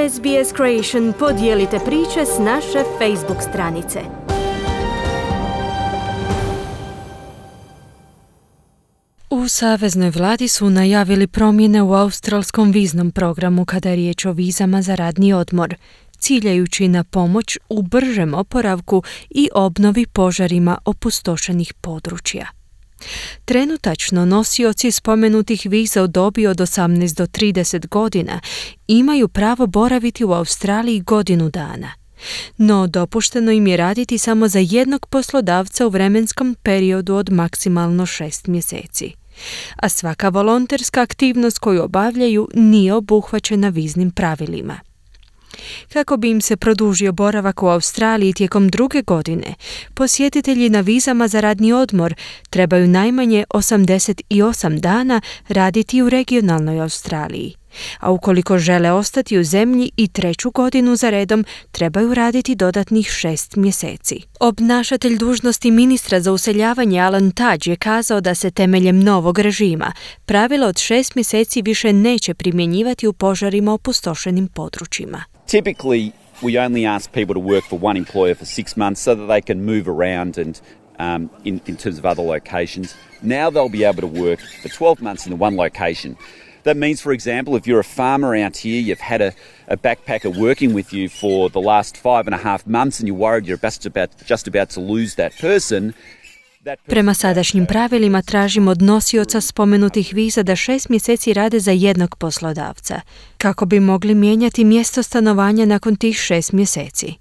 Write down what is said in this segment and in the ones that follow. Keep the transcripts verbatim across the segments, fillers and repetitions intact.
S B S Creation podijelite priče s naše Facebook stranice. U saveznoj vladi su najavili promjene u australskom viznom programu kada je riječ o vizama za radni odmor, ciljajući na pomoć u bržem oporavku i obnovi požarima opustošenih područja. Trenutačno nosioci spomenutih viza u dobi od osamnaest do trideset godina imaju pravo boraviti u Australiji godinu dana. No, dopušteno im je raditi samo za jednog poslodavca u vremenskom periodu od maksimalno šest mjeseci. A svaka volonterska aktivnost koju obavljaju nije obuhvaćena viznim pravilima. Kako bi im se produžio boravak u Australiji tijekom druge godine, posjetitelji na vizama za radni odmor trebaju najmanje osamdeset osam dana raditi u regionalnoj Australiji, a ukoliko žele ostati u zemlji i treću godinu za redom, trebaju raditi dodatnih šest mjeseci. Obnašatelj dužnosti ministra za useljavanje Alan Tudge je kazao da se temeljem novog režima pravilo od šest mjeseci više neće primjenjivati u požarima opustošenim područjima. Typically, we only ask people to work for one employer for six months so that they can move around and um, in, in terms of other locations. Now they'll be able to work for twelve months in the one location. That means, for example, if you're a farmer out here, you've had a, a backpacker working with you for the last five and a half months and you're worried you're just about, just about to lose that person. Prema sadašnjim pravilima tražimo od nosioca spomenutih viza da šest mjeseci rade za jednog poslodavca, kako bi mogli mijenjati mjesto stanovanja nakon tih šest mjeseci.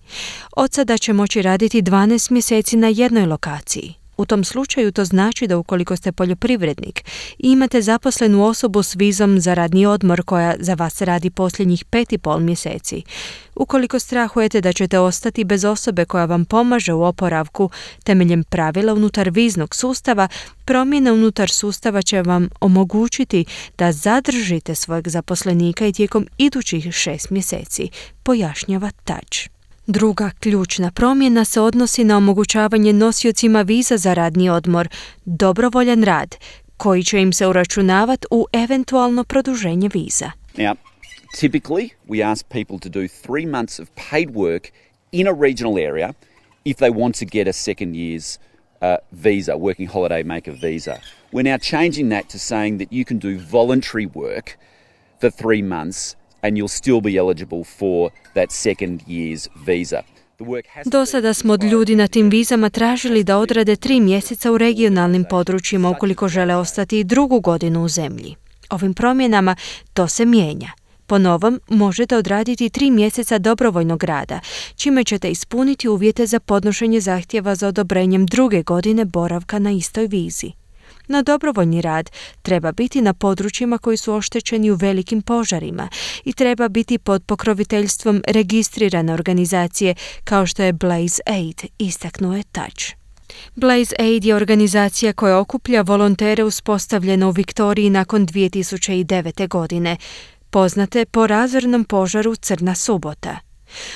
Od sada će moći raditi dvanaest mjeseci na jednoj lokaciji. U tom slučaju to znači da ukoliko ste poljoprivrednik i imate zaposlenu osobu s vizom za radni odmor koja za vas radi posljednjih pet i pol mjeseci, ukoliko strahujete da ćete ostati bez osobe koja vam pomaže u oporavku temeljem pravila unutar viznog sustava, promjena unutar sustava će vam omogućiti da zadržite svojeg zaposlenika i tijekom idućih šest mjeseci, pojašnjava Tudge. Druga ključna promjena se odnosi na omogućavanje nosiocima viza za radni odmor, dobrovoljan rad, koji će im se uračunavati u eventualno produženje viza. Now, typically we ask people to do three months of paid work in a regional area if they want to get a second year's uh, visa, working holiday maker visa. We're now changing that to saying that you can do voluntary work for three months and you'll still be eligible for that second year's visa. Do sada smo od ljudi na tim vizama tražili da odrade tri mjeseca u regionalnim područjima ukoliko žele ostati i drugu godinu u zemlji. Ovim promjenama to se mijenja. Po novom možete odraditi tri mjeseca dobrovoljnog rada, čime ćete ispuniti uvjete za podnošenje zahtjeva za odobrenjem druge godine boravka na istoj vizi. No dobrovoljni rad treba biti na područjima koji su oštećeni u velikim požarima i treba biti pod pokroviteljstvom registrirane organizacije kao što je Blaze Aid, istaknuo je Tudge. Blaze Aid je organizacija koja okuplja volontere uspostavljena u Viktoriji nakon dvije tisuće devete. godine, poznate po razornom požaru Crna subota.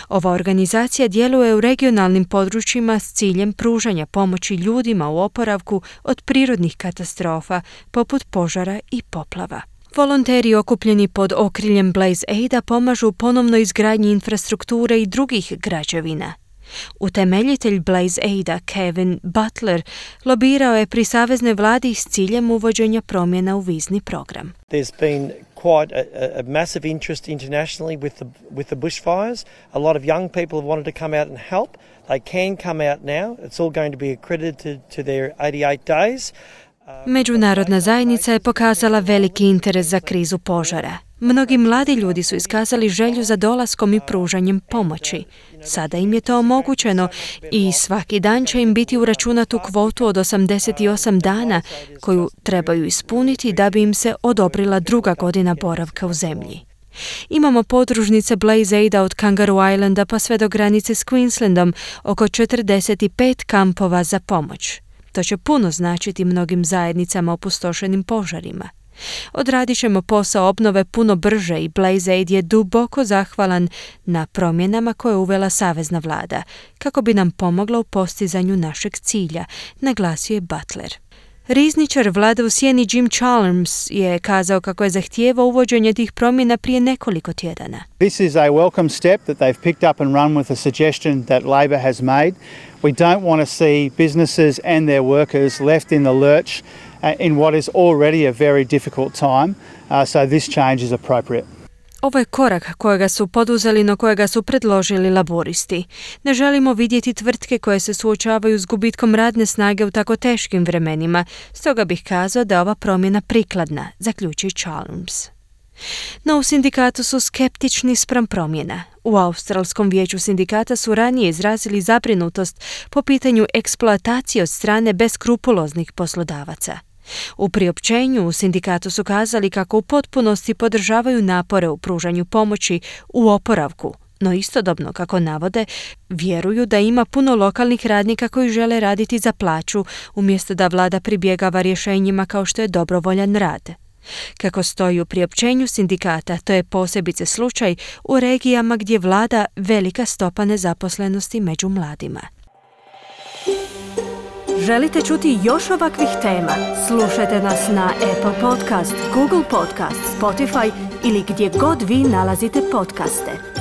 Ova organizacija djeluje u regionalnim područjima s ciljem pružanja pomoći ljudima u oporavku od prirodnih katastrofa poput požara i poplava. Volonteri okupljeni pod okriljem Blaze Aida pomažu u ponovnoj izgradnji infrastrukture i drugih građevina. Utemeljitelj Blaze Aida, Kevin Butler, lobirao je pri saveznoj vladi s ciljem uvođenja promjena u vizni program. There's been quite a, a massive interest internationally with the, with the bushfires. A lot of young people have wanted to come out and help. They can come out now. It's all going to be accredited to their eighty-eight days. Međunarodna zajednica je pokazala veliki interes za krizu požara. Mnogi mladi ljudi su iskazali želju za dolaskom i pružanjem pomoći. Sada im je to omogućeno i svaki dan će im biti uračunatu kvotu od osamdeset osam dana koju trebaju ispuniti da bi im se odobrila druga godina boravka u zemlji. Imamo podružnice Blaze Aida od Kangaroo Islanda pa sve do granice s Queenslandom, oko četrdeset pet kampova za pomoć. To će puno značiti mnogim zajednicama opustošenim požarima. Odradit ćemo posao obnove puno brže i Blaze Aid je duboko zahvalan na promjenama koje je uvela savezna vlada, kako bi nam pomogla u postizanju našeg cilja, naglasio je Butler. Rizničar vlade u sjeni Jim Chalmers je kazao kako je zahtijevao uvođenje tih promjena prije nekoliko tjedana. This is a welcome step that they've picked up and run with a suggestion that Labor has made. We don't want to see businesses and their workers left in the lurch in what is already a very difficult time, uh, so this change is appropriate. Ovo je korak kojega su poduzeli, no kojega su predložili laboristi. Ne želimo vidjeti tvrtke koje se suočavaju s gubitkom radne snage u tako teškim vremenima, stoga bih kazao da je ova promjena prikladna, zaključi Chalmers. No u sindikatu su skeptični spram promjena. U Australskom vijeću sindikata su ranije izrazili zabrinutost po pitanju eksploatacije od strane beskrupuloznih poslodavaca. U priopćenju u sindikatu su kazali kako u potpunosti podržavaju napore u pružanju pomoći u oporavku, no istodobno, kako navode, vjeruju da ima puno lokalnih radnika koji žele raditi za plaću, umjesto da vlada pribjegava rješenjima kao što je dobrovoljan rad. Kako stoji u priopćenju sindikata, to je posebice slučaj u regijama gdje vlada velika stopa nezaposlenosti među mladima. Želite čuti još ovakvih tema? Slušajte nas na Apple Podcast, Google Podcast, Spotify ili gdje god vi nalazite podcaste.